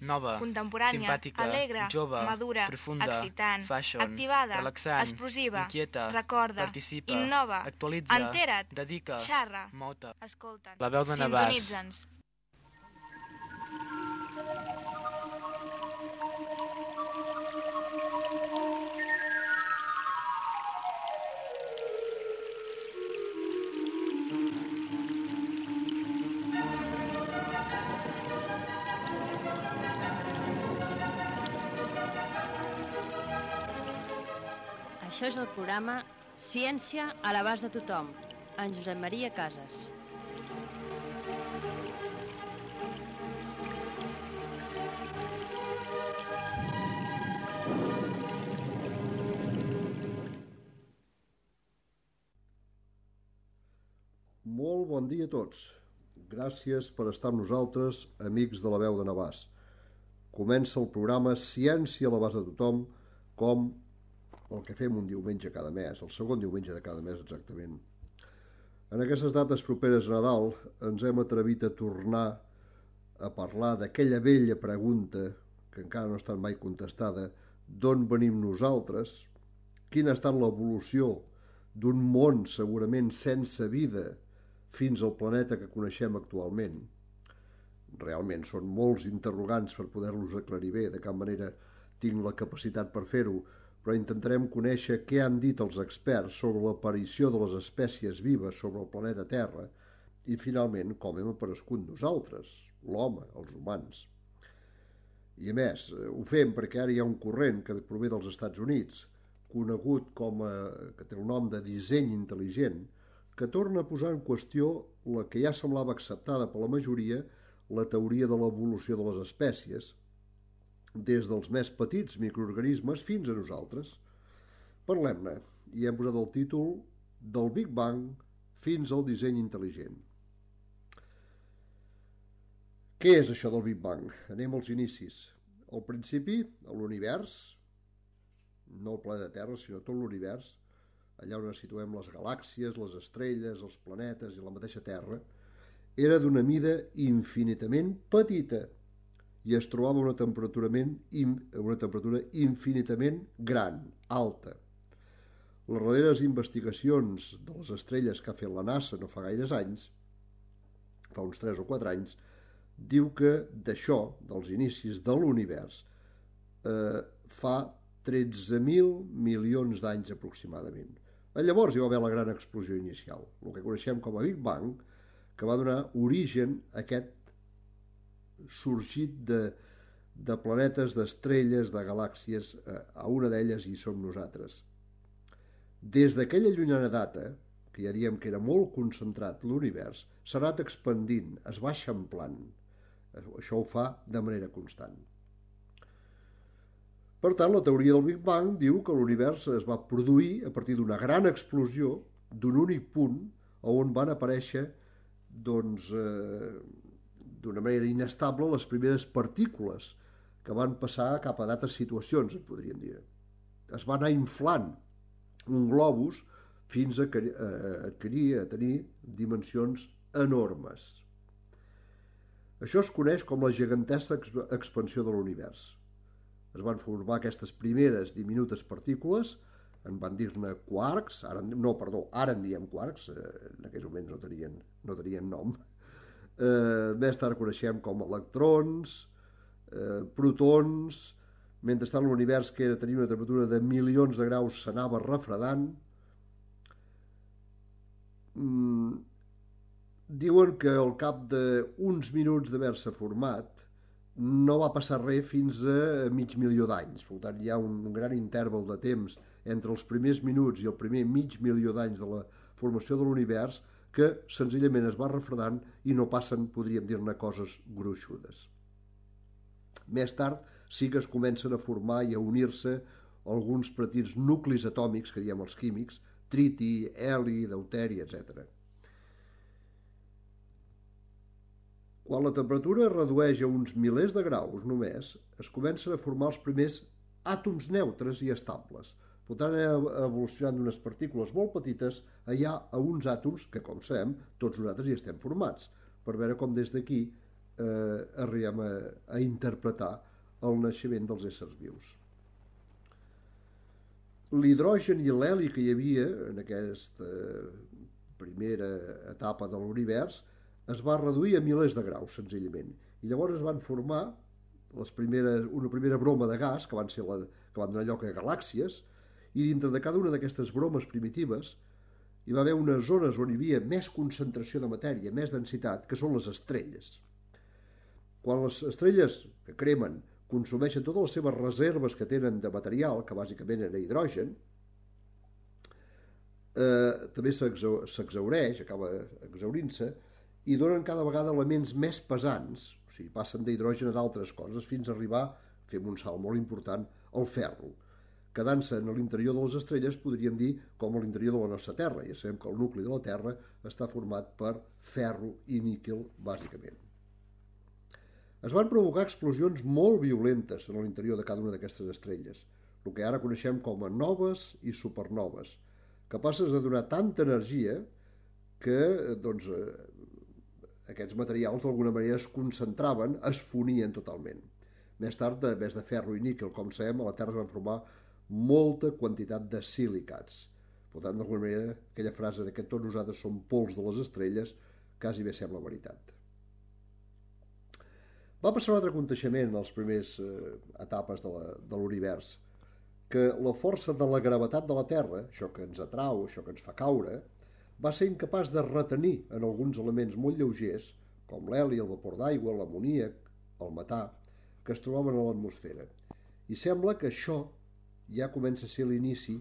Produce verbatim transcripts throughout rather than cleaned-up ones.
nova, contemporània, simpàtica, alegre, jove, madura, profunda, excitant, fashion, activada, relaxant, explosiva, inquieta, recorda, participa, innova, actualitza, entera't, dedica, xarra, mota. escolta'ns, La veu de Navàs. sintonitza'ns. Això és el programa Ciència a l'abast de tothom, en Josep Maria Casas. Molt bon dia a tots. Gràcies per estar amb nosaltres, amics de la veu de Navàs. Comença el programa Ciència a l'abast de tothom, com el que fem un diumenge cada mes, el segon diumenge de cada mes exactament. En aquestes dates properes a Nadal ens hem atrevit a tornar a parlar d'aquella vella pregunta que encara no ha estat mai contestada: d'on venim nosaltres? Quina ha estat l'evolució d'un món segurament sense vida fins al planeta que coneixem actualment? Realment són molts interrogants per poder-los aclarir bé, de cap manera tinc la capacitat per fer-ho, però intentarem conèixer què han dit els experts sobre l'aparició de les espècies vives sobre el planeta Terra i, finalment, com hem aparegut nosaltres, l'home, els humans. I, a més, ho fem perquè ara hi ha un corrent que prové dels Estats Units, conegut com a, que té el nom de disseny intel·ligent, que torna a posar en qüestió la que ja semblava acceptada per la majoria, la teoria de l'evolució de les espècies, des dels més petits microorganismes fins a nosaltres. Parlem-ne, i hem posat el títol Del Big Bang fins al disseny intel·ligent. Què és això del Big Bang? Anem als inicis. Al principi, a l'univers, no el planeta Terra, sinó tot l'univers, allà on situem les galàxies, les estrelles, els planetes i la mateixa Terra, era d'una mida infinitament petita, i es trobava a una temperatura, una temperatura infinitament gran, alta. Les darreres investigacions de les estrelles que ha fet la NASA no fa gaires anys, fa uns tres o quatre anys, diu que d'això, dels inicis de l'univers, eh, fa tretze mil milions d'anys aproximadament. Llavors hi va haver la gran explosió inicial, el que coneixem com a Big Bang, que va donar origen a aquest sorgit de, de planetes, d'estrelles, de galàxies. A una d'elles hi som nosaltres. Des d'aquella llunyana data, que ja diem que era molt concentrat l'univers, s'ha anat expandint, es va eixamplant. Això ho fa de manera constant. Per tant, la teoria del Big Bang diu que l'univers es va produir a partir d'una gran explosió d'un únic punt on van aparèixer, doncs, eh, d'una manera inestable les primeres partícules que van passar cap a d'altres situacions, en podríem dir. Es va anar inflant un globus fins a adquirir, a tenir dimensions enormes. Això es coneix com la gegantesca expansió de l'univers. Es van formar aquestes primeres diminutes partícules, en van dir-ne quarks, ara, no, perdó, ara en diem quarks, en aquells moments no tenien, no tenien nom. Eh, més tard coneixem com electrons, eh, protons. Mentrestant l'univers, que era tenir una temperatura de milions de graus, s'anava refredant. Mm, diuen que al cap d'uns minuts d'haver-se format no va passar res fins a mig milió d'anys. Per tant, hi ha un gran interval de temps entre els primers minuts i el primer mig milió d'anys de la formació de l'univers, que senzillament es va refredant i no passen, podríem dir-ne, coses gruixudes. Més tard sí que es comencen a formar i a unir-se alguns petits nuclis atòmics, que diem els químics, triti, heli, deuteri, etcètera. Quan la temperatura es redueix a uns milers de graus només, es comencen a formar els primers àtoms neutres i estables. Per tant, ha evolucionat d'unes partícules molt petites allà a uns àtoms que, com sabem, tots nosaltres hi estem formats, per veure com des d'aquí eh, arribem a, a interpretar el naixement dels éssers vius. L'hidrogen i l'heli que hi havia en aquesta primera etapa de l'univers es va reduir a milers de graus, senzillament. I llavors es van formar les primeres, una primera broma de gas, que van, ser la, que van donar lloc a galàxies, i dintre de cada una d'aquestes bromes primitives hi va haver unes zones on hi havia més concentració de matèria, més densitat, que són les estrelles. Quan les estrelles que cremen consumeixen totes les seves reserves que tenen de material, que bàsicament era hidrogen, eh, també s'exhaureix, acaba exhaurint-se, i donen cada vegada elements més pesants, o sigui, passen d'hidrogen a d'altres coses, fins a arribar, fem un salt molt important, al ferro. Quedant-se en l'interior de les estrelles, podríem dir com a l'interior de la nostra Terra. Ja sabem que el nucli de la Terra està format per ferro i níquel, bàsicament. Es van provocar explosions molt violentes en l'interior de cada una d'aquestes estrelles, el que ara coneixem com a noves i supernoves, capaces de donar tanta energia que doncs, aquests materials d'alguna manera es concentraven, es fonien totalment. Més tard, a més de ferro i níquel, com sabem, a la Terra es van formar molta quantitat de silicats. Per tant, d'alguna manera, aquella frase de que tots nosaltres som pols de les estrelles quasi bé sembla veritat. Va passar un altre aconteixement en les primeres eh, etapes de l'univers, que la força de la gravetat de la Terra, això que ens atrau, això que ens fa caure, va ser incapaç de retenir en alguns elements molt lleugers, com l'heli, el vapor d'aigua, l'amoníac, el metà, que es trobaven a l'atmosfera. I sembla que això ja comença a ser l'inici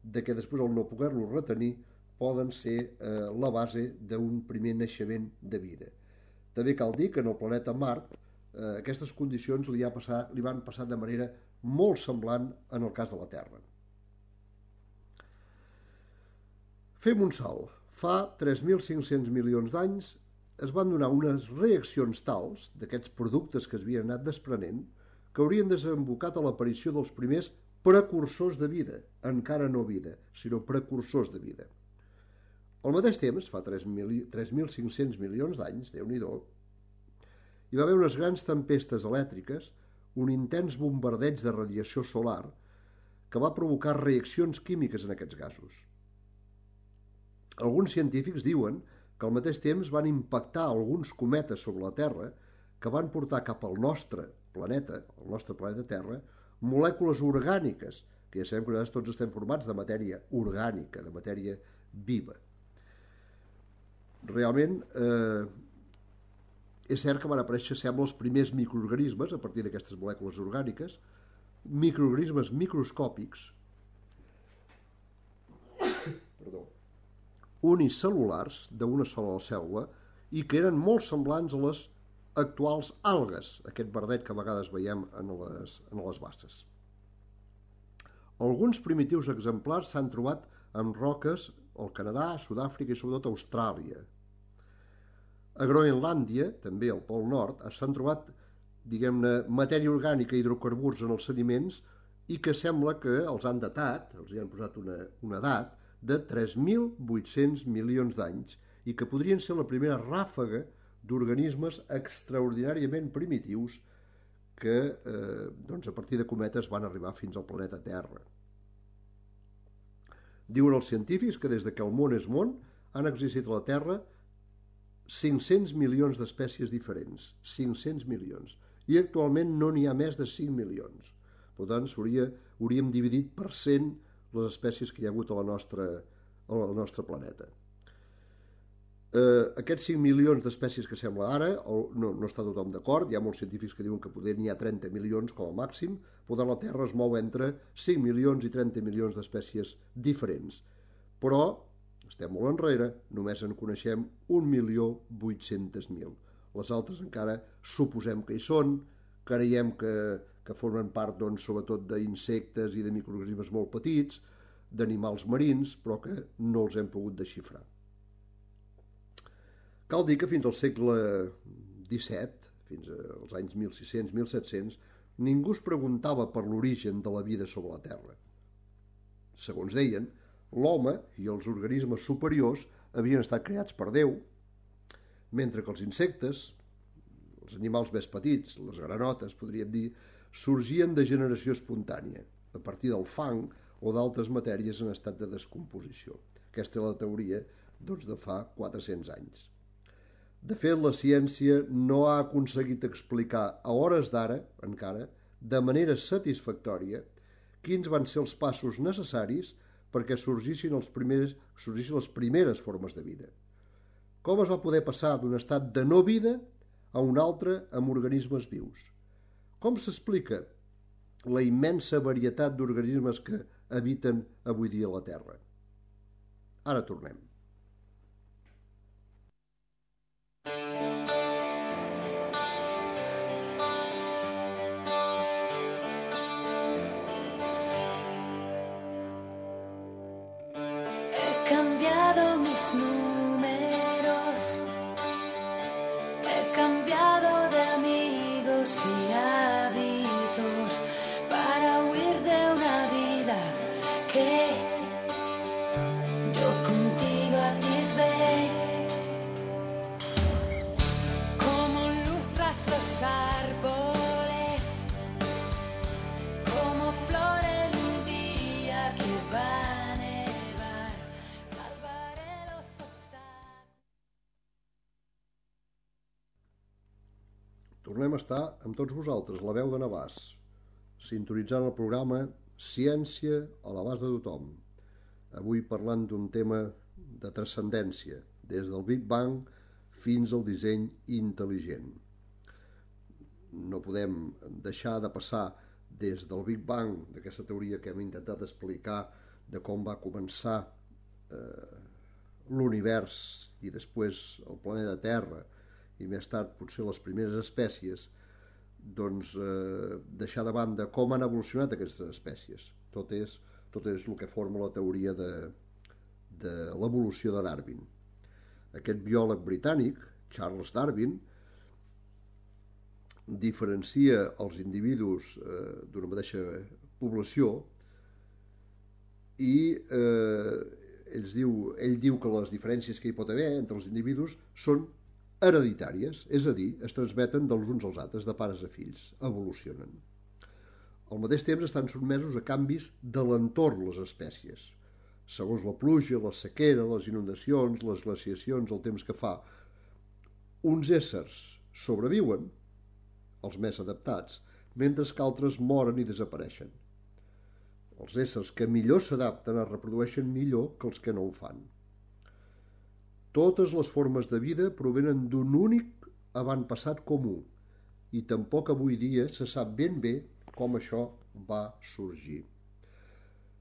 de que després, al no poder-lo retenir, poden ser eh, la base d'un primer naixement de vida. També cal dir que en el planeta Mart eh, aquestes condicions li, ha passat, li van passar de manera molt semblant en el cas de la Terra. Fem un salt. Fa tres mil cinc-cents milions d'anys es van donar unes reaccions tals d'aquests productes que es havien anat desprenent que haurien desembocat a l'aparició dels primers precursors de vida, encara no vida, sinó precursors de vida. Al mateix temps, fa tres mil cinc-cents milions d'anys, Déu-n'hi-do, hi va haver unes grans tempestes elèctriques, un intens bombardeig de radiació solar que va provocar reaccions químiques en aquests gasos. Alguns científics diuen que al mateix temps van impactar alguns cometes sobre la Terra que van portar cap al nostre planeta, el nostre planeta Terra, molècules orgàniques, que ja sabem que nosaltres tots estem formats de matèria orgànica, de matèria viva. Realment, eh, és cert que van aparèixer, sembla, els primers microorganismes a partir d'aquestes molècules orgàniques, microorganismes microscòpics, perdó, unicel·lulars d'una sola cèl·lula i que eren molt semblants a les actuals algues, aquest verdet que a vegades veiem en les, en les basses. Alguns primitius exemplars s'han trobat en roques al Canadà, Sud-àfrica i sobretot a Austràlia. A Groenlàndia, també al Pol Nord, s'han trobat, diguem-ne, matèria orgànica i hidrocarburs en els sediments i que sembla que els han datat, els hi han posat una, una edat, de tres mil vuit-cents milions d'anys i que podrien ser la primera ràfaga d'organismes extraordinàriament primitius que eh, doncs a partir de cometes van arribar fins al planeta Terra. Diuen els científics que des que el món és món han existit a la Terra cinc-cents milions d'espècies diferents, cinc-cents milions, i actualment no n'hi ha més de cinc milions. Per tant, hauríem dividit per cent les espècies que hi ha hagut a la nostra, al nostre planeta. Eh, aquests cinc milions d'espècies que sembla ara, no, no està tothom d'acord, hi ha molts científics que diuen que poder n'hi ha trenta milions com a màxim, però la Terra es mou entre cinc milions i trenta milions d'espècies diferents. Però estem molt enrere, només en coneixem un milió vuit-cents mil. Les altres encara suposem que hi són, creiem que, que formen part, doncs, sobretot d'insectes i de microorganismes molt petits, d'animals marins, però que no els hem pogut desxifrar. Cal dir que fins al segle disset, fins als anys mil sis-cents mil set-cents, ningú es preguntava per l'origen de la vida sobre la Terra. Segons deien, l'home i els organismes superiors havien estat creats per Déu, mentre que els insectes, els animals més petits, les granotes, podríem dir, sorgien de generació espontània, a partir del fang o d'altres matèries en estat de descomposició. Aquesta és la teoria doncs, de fa quatre-cents anys. De fet, la ciència no ha aconseguit explicar a hores d'ara, encara, de manera satisfactòria, quins van ser els passos necessaris perquè sorgissin, els primers, sorgissin les primeres formes de vida. Com es va poder passar d'un estat de no vida a un altre amb organismes vius? Com s'explica la immensa varietat d'organismes que habiten avui dia a la Terra? Ara tornem. He cambiado mis números, he cambiado de amigos y hábitos para huir de una vida que yo contigo atisbé. Como luz tras los árboles, como flor en un día que va a nevar, salvaré los obstáculos. Tornem a estar amb tots vosaltres, la veu de Navàs, sintonitzant el programa Ciència a l'abast de tothom. Avui parlant d'un tema de transcendència, des del Big Bang fins al disseny intel·ligent. No podem deixar de passar des del Big Bang, d'aquesta teoria que hem intentat explicar de com va començar eh, l'univers i després el planeta Terra i més tard potser les primeres espècies, doncs eh, deixar de banda com han evolucionat aquestes espècies. Tot és, tot és el que forma la teoria de, de l'evolució de Darwin. Aquest biòleg britànic, Charles Darwin, diferencia els individus eh, d'una mateixa població i eh, ell, diu, ell diu que les diferències que hi pot haver entre els individus són hereditàries, és a dir, es transmeten dels uns als altres, de pares a fills, evolucionen. Al mateix temps estan sotmesos a canvis de l'entorn les espècies, segons la pluja, la sequera, les inundacions, les glaciacions, el temps que fa. Uns éssers sobreviuen, els més adaptats, mentre que altres moren i desapareixen. Els éssers que millor s'adapten es reprodueixen millor que els que no ho fan. Totes les formes de vida provenen d'un únic avantpassat comú i tampoc avui dia se sap ben bé com això va sorgir.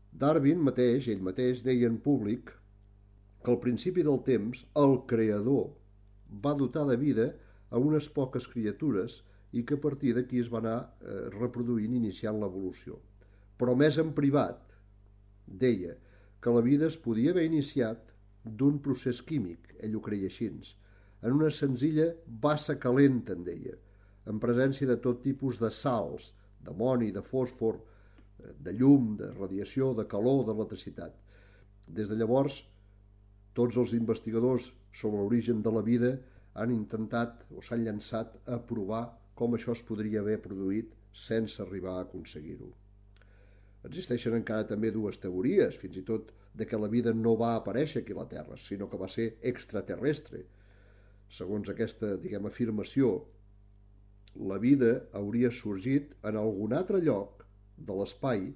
Darwin mateix, ell mateix, deia en públic que al principi del temps el creador va dotar de vida a unes poques criatures i que a partir d'aquí es va anar eh, reproduint i iniciant l'evolució. Però més en privat, deia que la vida es podia haver iniciat d'un procés químic, ell ho creia així, en una senzilla bassa calenta, en deia, en presència de tot tipus de sals, d'amoni, de fòsfor, de llum, de radiació, de calor, d'electricitat. Des de llavors, tots els investigadors sobre l'origen de la vida han intentat o s'han llançat a provar com això es podria haver produït sense arribar a aconseguir-ho. Existeixen encara també dues teories, fins i tot de que la vida no va aparèixer aquí a la Terra, sinó que va ser extraterrestre. Segons aquesta, diguem, afirmació, la vida hauria sorgit en algun altre lloc de l'espai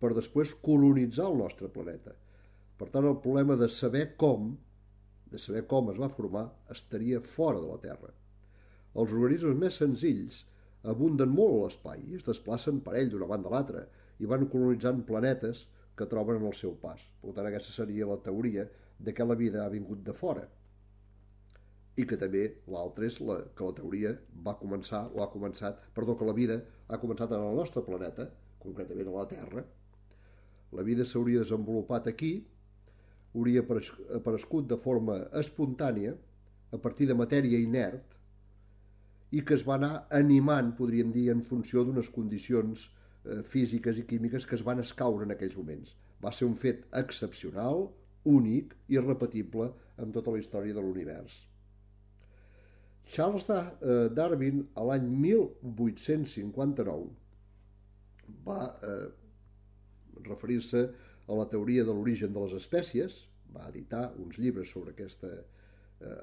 per després colonitzar el nostre planeta. Per tant, el problema de saber com, de saber com es va formar, estaria fora de la Terra. Els organismes més senzills abunden molt a l'espai i es desplacen per ell d'una banda a l'altra i van colonitzant planetes que troben en el seu pas. Per tant, aquesta seria la teoria de que la vida ha vingut de fora. I que també l'altra és la, que la teoria va començar, o ha començat, perdó, que la vida ha començat en el nostre planeta, concretament a la Terra. La vida s'hauria desenvolupat aquí, hauria aparegut de forma espontània, a partir de matèria inert, i que es va anar animant, podríem dir, en funció d'unes condicions eh, físiques i químiques que es van escaure en aquells moments. Va ser un fet excepcional, únic i irrepetible en tota la història de l'univers. Charles Darwin, a l'any mil vuit-cents cinquanta-nou, va eh, referir-se a la teoria de l'origen de les espècies, va editar uns llibres sobre aquesta eh,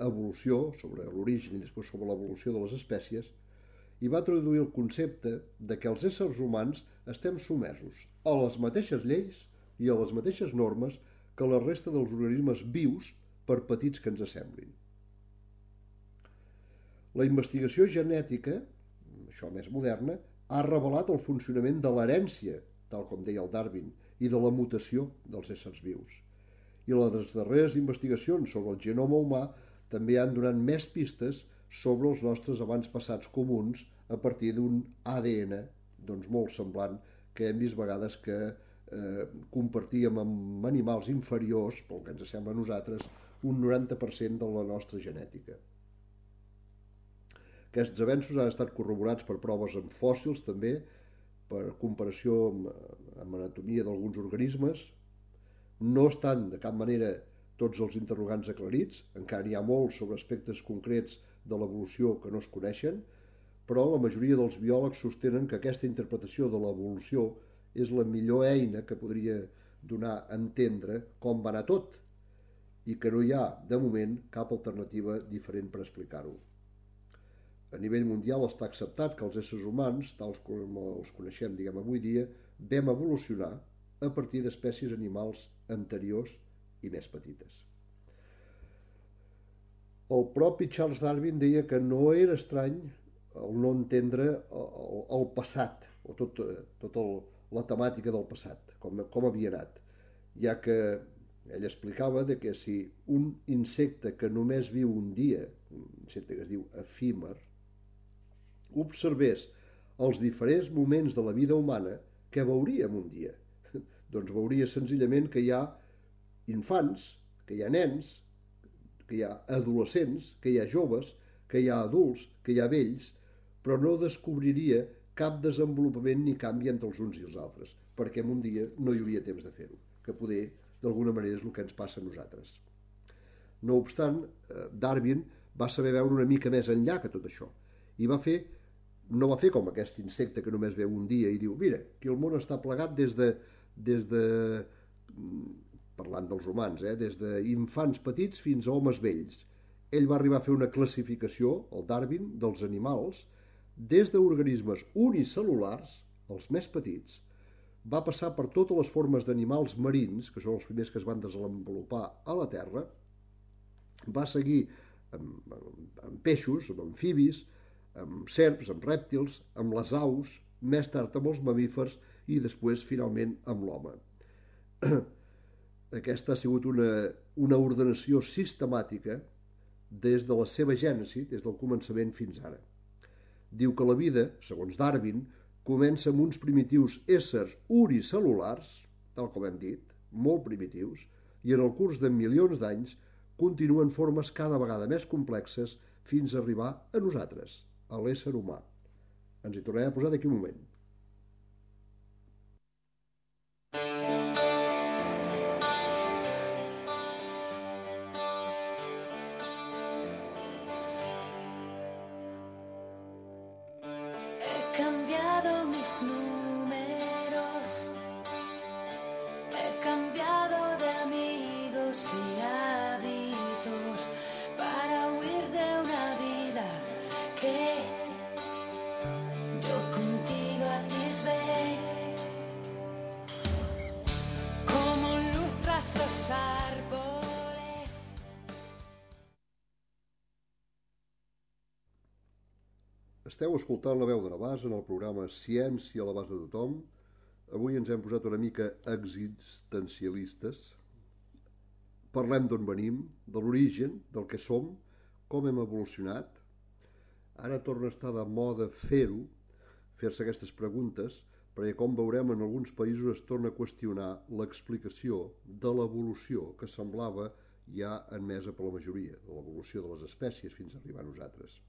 evolució, sobre l'origen i després sobre l'evolució de les espècies, i va introduir el concepte de que els éssers humans estem sotmesos a les mateixes lleis i a les mateixes normes que la resta dels organismes vius, per petits que ens semblin. La investigació genètica, això més moderna, ha revelat el funcionament de l'herència, tal com deia el Darwin, i de la mutació dels éssers vius. I les darreres investigacions sobre el genoma humà també han donat més pistes sobre els nostres avantpassats comuns a partir d'un A D N doncs, molt semblant que hem vist vegades que eh, compartíem amb animals inferiors, pel que ens sembla a nosaltres, un noranta per cent de la nostra genètica. Aquests avenços han estat corroborats per proves amb fòssils també, per comparació amb, amb anatomia d'alguns organismes. No estan de cap manera tots els interrogants aclarits, encara n'hi ha molts sobre aspectes concrets de l'evolució que no es coneixen, però la majoria dels biòlegs sostenen que aquesta interpretació de l'evolució és la millor eina que podria donar a entendre com va anar tot i que no hi ha, de moment, cap alternativa diferent per explicar-ho. A nivell mundial està acceptat que els éssers humans, tals com els coneixem diguem avui dia, vam evolucionar a partir d'espècies animals anteriors i més petites. El propi Charles Darwin deia que no era estrany el no entendre el, el passat, o tot, tot el, la temàtica del passat, com, com havia anat, ja que ell explicava de que si un insecte que només viu un dia, un insecte que es diu efímer, observés els diferents moments de la vida humana, què veuríem un dia? Doncs veuria senzillament que hi ha infants, que hi ha nens, que hi ha adolescents, que hi ha joves, que hi ha adults, que hi ha vells, però no descobriria cap desenvolupament ni canvi entre els uns i els altres, perquè en un dia no hi hauria temps de fer-ho, que poder, d'alguna manera, és el que ens passa a nosaltres. No obstant, Darwin va saber veure una mica més enllà que tot això, i va fer, no va fer com aquest insecte que només veu un dia i diu, mira, que el món està plegat des de, des de parlant dels humans, eh, des d'infants petits fins a homes vells. Ell va arribar a fer una classificació, el Darwin, dels animals, des d'organismes unicel·lulars, els més petits, va passar per totes les formes d'animals marins, que són els primers que es van desenvolupar a la Terra, va seguir amb, amb, amb peixos, amb amfibis, amb serps, amb rèptils, amb les aus, més tard amb els mamífers i després, finalment, amb l'home. Aquesta ha sigut una, una ordenació sistemàtica des de la seva gènesi, des del començament fins ara. Diu que la vida, segons Darwin, comença amb uns primitius éssers unicel·lulars, tal com hem dit, molt primitius, i en el curs de milions d'anys continuen formes cada vegada més complexes fins a arribar a nosaltres, a l'ésser humà. Ens hi tornarem a posar d'aquí un moment. Esteu escoltant La Veu de Navàs en el programa Ciència a l'abast de tothom. Avui ens hem posat una mica existencialistes. Parlem d'on venim, de l'origen, del que som, com hem evolucionat. Ara torna a estar de moda fer-ho, fer-se aquestes preguntes, perquè com veurem en alguns països es torna a qüestionar l'explicació de l'evolució que semblava ja admesa per la majoria, de l'evolució de les espècies fins a arribar a nosaltres.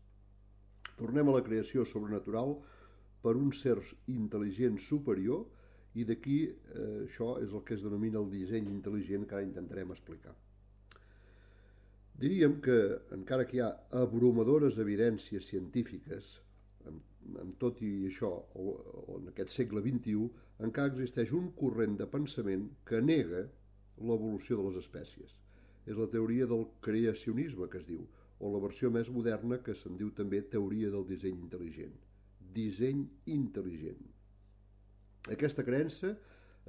Tornem a la creació sobrenatural per un ser intel·ligent superior i d'aquí eh, això és el que es denomina el disseny intel·ligent que ara intentarem explicar. Diríem que, encara que hi ha abrumadores evidències científiques, amb, amb tot i això, o, o en aquest segle vint-i-u, encara existeix un corrent de pensament que nega l'evolució de les espècies. És la teoria del creacionisme, que es diu, o la versió més moderna, que se'n diu també teoria del disseny intel·ligent. Disseny intel·ligent. Aquesta creença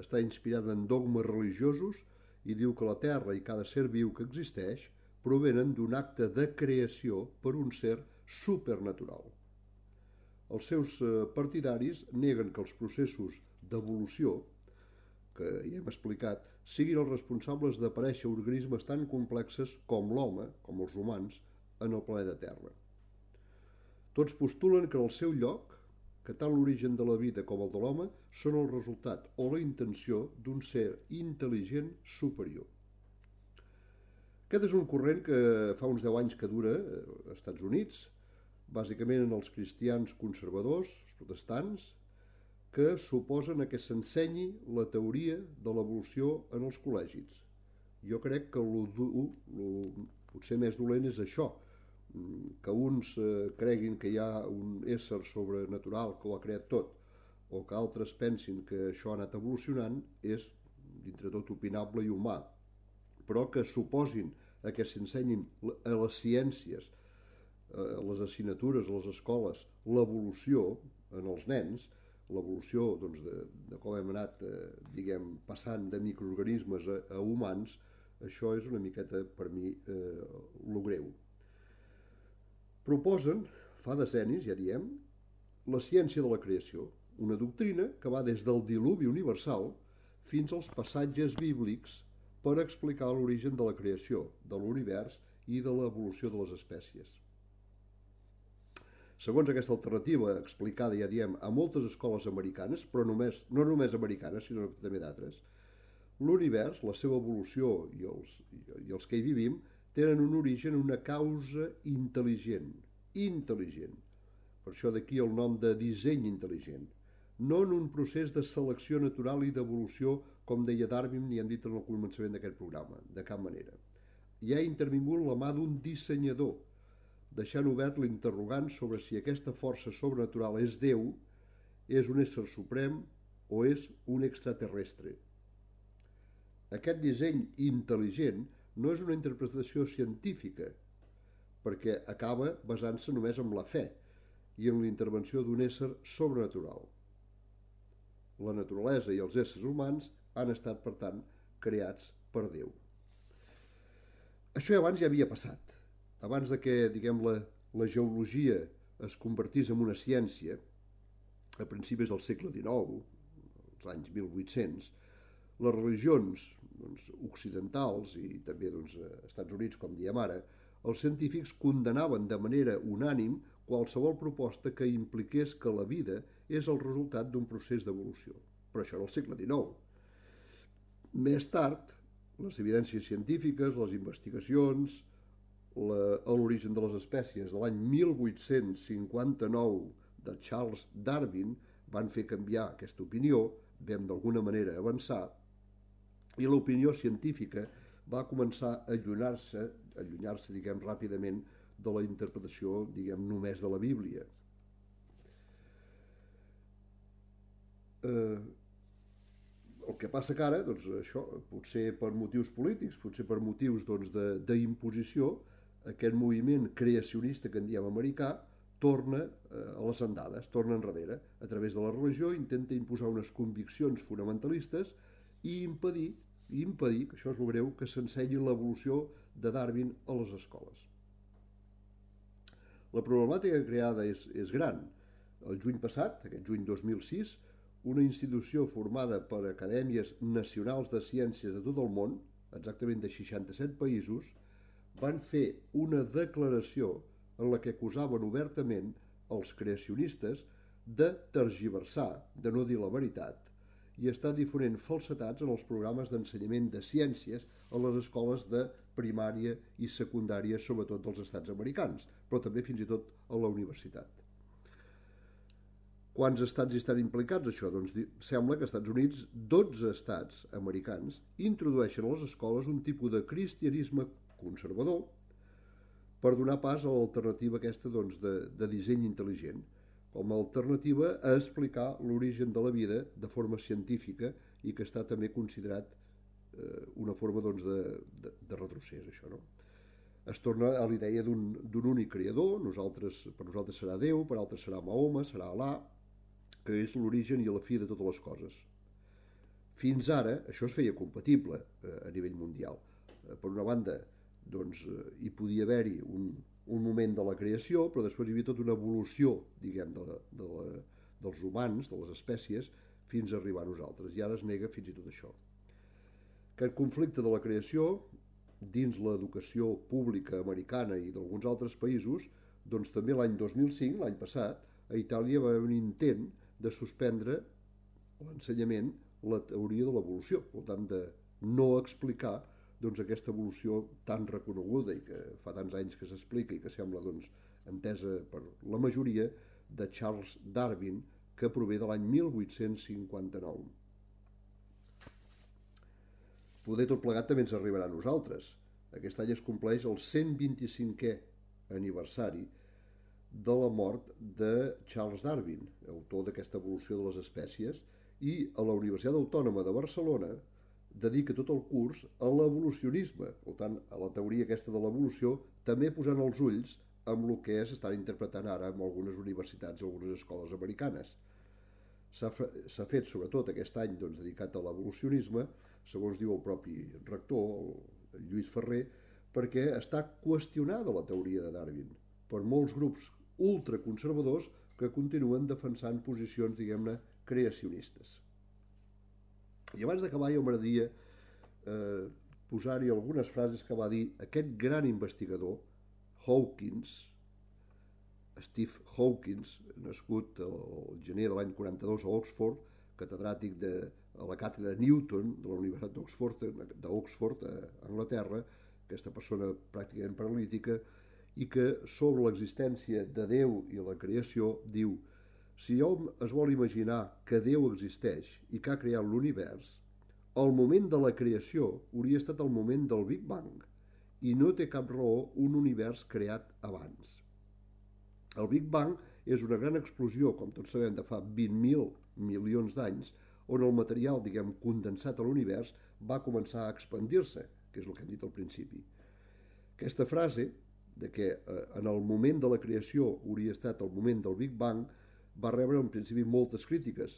està inspirada en dogmes religiosos i diu que la Terra i cada ser viu que existeix provenen d'un acte de creació per un ser supernatural. Els seus partidaris neguen que els processos d'evolució, que ja hem explicat, siguin els responsables d'aparèixer organismes tan complexes com l'home, com els humans, en el planeta Terra. Tots postulen que en el seu lloc, que tant l'origen de la vida com el de l'home són el resultat o la intenció d'un ser intel·ligent superior. Aquest és un corrent que fa uns deu anys que dura als Estats Units, bàsicament en els cristians conservadors, els protestants, que s'oposen a que s'ensenyi la teoria de l'evolució en els col·legis. Jo crec que el potser més dolent és això, que uns eh, creguin que hi ha un ésser sobrenatural que ho ha creat tot, o que altres pensin que això ha anat evolucionant, és, dintre tot, opinable i humà. Però que s'oposin a que s'ensenyin a les ciències, a les assignatures, a les escoles, l'evolució en els nens, l'evolució doncs, de, de com hem anat eh, diguem, passant de microorganismes a, a humans, això és una miqueta, per mi, eh, lo greu. Proposen, fa decennis, ja diem, la ciència de la creació, una doctrina que va des del diluvi universal fins als passatges bíblics per explicar l'origen de la creació, de l'univers i de l'evolució de les espècies. Segons aquesta alternativa explicada, ja diem, a moltes escoles americanes, però només, no només americanes, sinó també d'altres, l'univers, la seva evolució i els, i els que hi vivim, tenen un origen, una causa intel·ligent, intel·ligent. Per això d'aquí el nom de disseny intel·ligent. No en un procés de selecció natural i d'evolució, com deia Darwin i hem dit en el començament d'aquest programa, de cap manera. Hi ha intervingut la mà d'un dissenyador, deixant obert l'interrogant sobre si aquesta força sobrenatural és Déu, és un ésser suprem o és un extraterrestre. Aquest disseny intel·ligent no és una interpretació científica, perquè acaba basant-se només en la fe i en la intervenció d'un ésser sobrenatural. La naturalesa i els éssers humans han estat, per tant, creats per Déu. Això abans ja havia passat. Abans de que, diguem, la, la geologia es convertís en una ciència, a principis del segle dinou, als anys mil vuit-cents, les religions doncs, occidentals i també doncs, als Estats Units, com diem ara, els científics condenaven de manera unànim qualsevol proposta que impliqués que la vida és el resultat d'un procés d'evolució. Però això era el segle dinou. Més tard, les evidències científiques, les investigacions, la, l'origen de les espècies de l'any mil vuit-cents cinquanta-nou de Charles Darwin van fer canviar aquesta opinió, vam d'alguna manera avançar, i l'opinió científica va començar a allunyar-se, allunyar-se, diguem, ràpidament de la interpretació, diguem, només de la Bíblia. Eh, el que passa que ara, doncs això, potser per motius polítics, potser per motius doncs, de, d'imposició, aquest moviment creacionista que en diem americà torna eh, a les andades, torna enrere. A través de la religió intenta imposar unes conviccions fonamentalistes i impedir i impedir, que això és el greu, que s'ensenyi l'evolució de Darwin a les escoles. La problemàtica creada és, és gran. El juny passat, aquest juny dos mil sis, una institució formada per acadèmies nacionals de ciències de tot el món, exactament de seixanta-set països, van fer una declaració en la que acusaven obertament els creacionistes de tergiversar, de no dir la veritat, i està difonent falsetats en els programes d'ensenyament de ciències a les escoles de primària i secundària, sobretot dels estats americans, però també fins i tot a la universitat. Quants estats hi estan implicats, això? Doncs sembla que als Estats Units, dotze estats americans introdueixen a les escoles un tipus de cristianisme conservador per donar pas a l'alternativa aquesta doncs, de, de disseny intel·ligent, com a alternativa a explicar l'origen de la vida de forma científica i que està també considerat eh, una forma doncs, de, de, de retrocés, això, no? Es torna a la idea d'un únic creador, nosaltres, per nosaltres serà Déu, per altres serà Mahoma, serà Alà, que és l'origen i la fi de totes les coses. Fins ara això es feia compatible eh, a nivell mundial. Eh, per una banda, doncs, eh, hi podia haver-hi un, un moment de la creació, però després hi havia tota una evolució, diguem, de la, de la, dels humans, de les espècies, fins a arribar a nosaltres. I ara es nega fins i tot això. Aquest conflicte de la creació, dins l'educació pública americana i d'alguns altres països, doncs també l'any dos mil cinc, l'any passat, a Itàlia va haver un intent de suspendre l'ensenyament la teoria de l'evolució, per tant de no explicar doncs, aquesta evolució tan reconeguda i que fa tants anys que s'explica i que sembla doncs, entesa per la majoria de Charles Darwin, que prové de l'any mil vuit-cents cinquanta-nou. Poder tot plegat també ens arribarà a nosaltres. Aquest any es compleix el cent vint-i-cinquè aniversari de la mort de Charles Darwin, autor d'aquesta evolució de les espècies, i a la Universitat Autònoma de Barcelona dedica tot el curs a l'evolucionisme, per tant, a la teoria aquesta de l'evolució, també posant els ulls amb el que s'estan interpretant ara en algunes universitats i algunes escoles americanes. S'ha fet, sobretot aquest any, doncs, dedicat a l'evolucionisme, segons diu el propi rector, el Lluís Ferrer, perquè està qüestionada la teoria de Darwin per molts grups ultraconservadors que continuen defensant posicions, diguem-ne, creacionistes. I abans d'acabar, jo m'agradaria eh, posar-hi algunes frases que va dir aquest gran investigador, Hawkins, Steve Hawkins, nascut el gener de l'any quaranta-dos a Oxford, catedràtic de a la càtedra Newton de la Universitat d'Oxford, d'Oxford a Anglaterra, aquesta persona pràcticament paralítica, i que sobre l'existència de Déu i la creació diu: si hom es vol imaginar que Déu existeix i que ha creat l'univers, el moment de la creació hauria estat el moment del Big Bang, i no té cap raó un univers creat abans. El Big Bang és una gran explosió, com tots sabem, de fa vint mil milions d'anys, on el material, diguem, condensat a l'univers va començar a expandir-se, que és el que hem dit al principi. Aquesta frase, de que eh, en el moment de la creació hauria estat el moment del Big Bang, va rebre en principi moltes crítiques,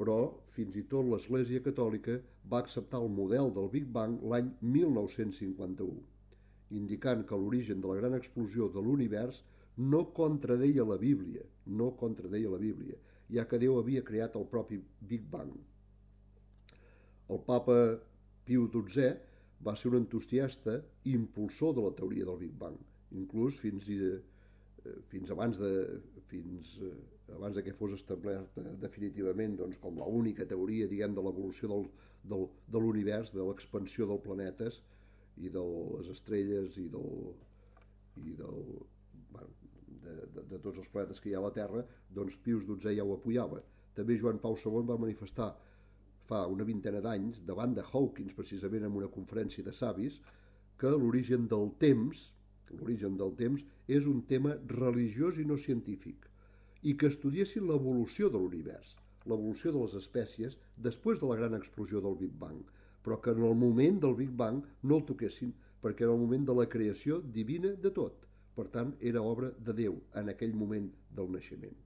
però fins i tot l'Església Catòlica va acceptar el model del Big Bang l'any mil nou-cents cinquanta-u, indicant que l'origen de la gran explosió de l'univers no contradeia la Bíblia, no contradeia la Bíblia, ja que Déu havia creat el propi Big Bang. El papa Piu dotzè va ser un entusiasta i impulsor de la teoria del Big Bang, inclús fins, i, fins abans de fins abans de que fos establerta definitivament doncs, com l'única teoria, diguem, de l'evolució del, del, de l'univers, de l'expansió dels planetes i de les estrelles i del, i del bueno, de, de, de tots els planetes que hi ha a la Terra, doncs Pius dotzè ja ho apoyava. També Joan Pau segon va manifestar fa una vintena d'anys, davant de Hawkins, precisament en una conferència de savis, que l'origen del temps, l'origen del temps és un tema religiós i no científic, i que estudiessin l'evolució de l'univers, l'evolució de les espècies després de la gran explosió del Big Bang, però que en el moment del Big Bang no el toquessin, perquè era el moment de la creació divina de tot. Per tant, era obra de Déu en aquell moment del naixement.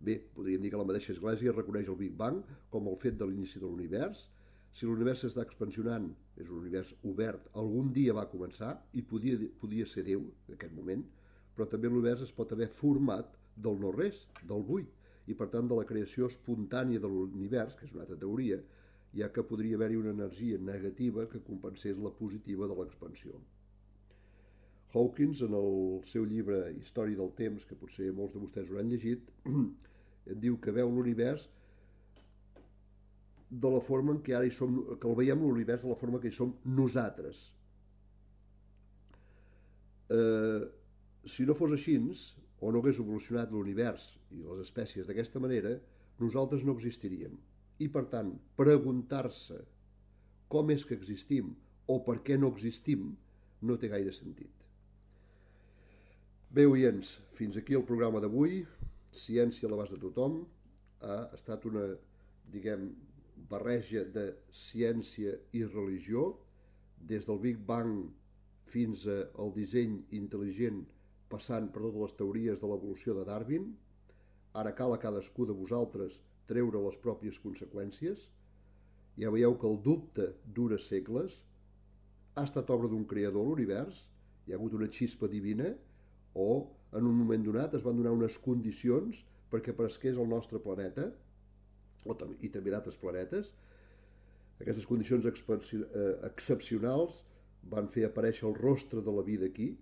Bé, podríem dir que la mateixa Església reconeix el Big Bang com el fet de l'inici de l'univers. Si l'univers s'està expansionant, és un univers obert, algun dia va començar i podia, podia ser Déu en aquest moment, però també l'univers es pot haver format del no-res, del buit, i per tant de la creació espontània de l'univers, que és una altra teoria, ja que podria haver-hi una energia negativa que compensés la positiva de l'expansió. Hawkins, en el seu llibre Història del temps, que potser molts de vostès ho han llegit, diu que veu l'univers de la forma en què ara hi som, que el veiem l'univers de la forma que hi som nosaltres. Eh, si no fos així, o no hagués evolucionat l'univers i les espècies d'aquesta manera, nosaltres no existiríem. I, per tant, preguntar-se com és que existim o per què no existim no té gaire sentit. Bé, oients, fins aquí el programa d'avui. Ciència a l'abast de tothom. Ha estat una, diguem, barreja de ciència i religió, des del Big Bang fins al disseny intel·ligent, passant per totes les teories de l'evolució de Darwin. Ara cal a cadascú de vosaltres treure les pròpies conseqüències. Ja veieu que el dubte dura segles. Ha estat obra d'un creador l'univers, hi ha hagut una xispa divina, o en un moment donat es van donar unes condicions perquè aparegués el nostre planeta, o tam- i també d'altres planetes. Aquestes condicions expansi- eh, excepcionals van fer aparèixer el rostre de la vida aquí.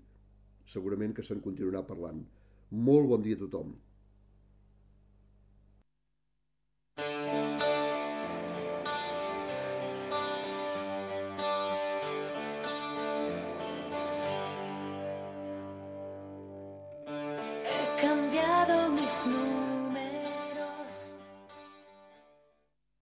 Segurament que se'n continuarà parlant. Molt bon dia a tothom.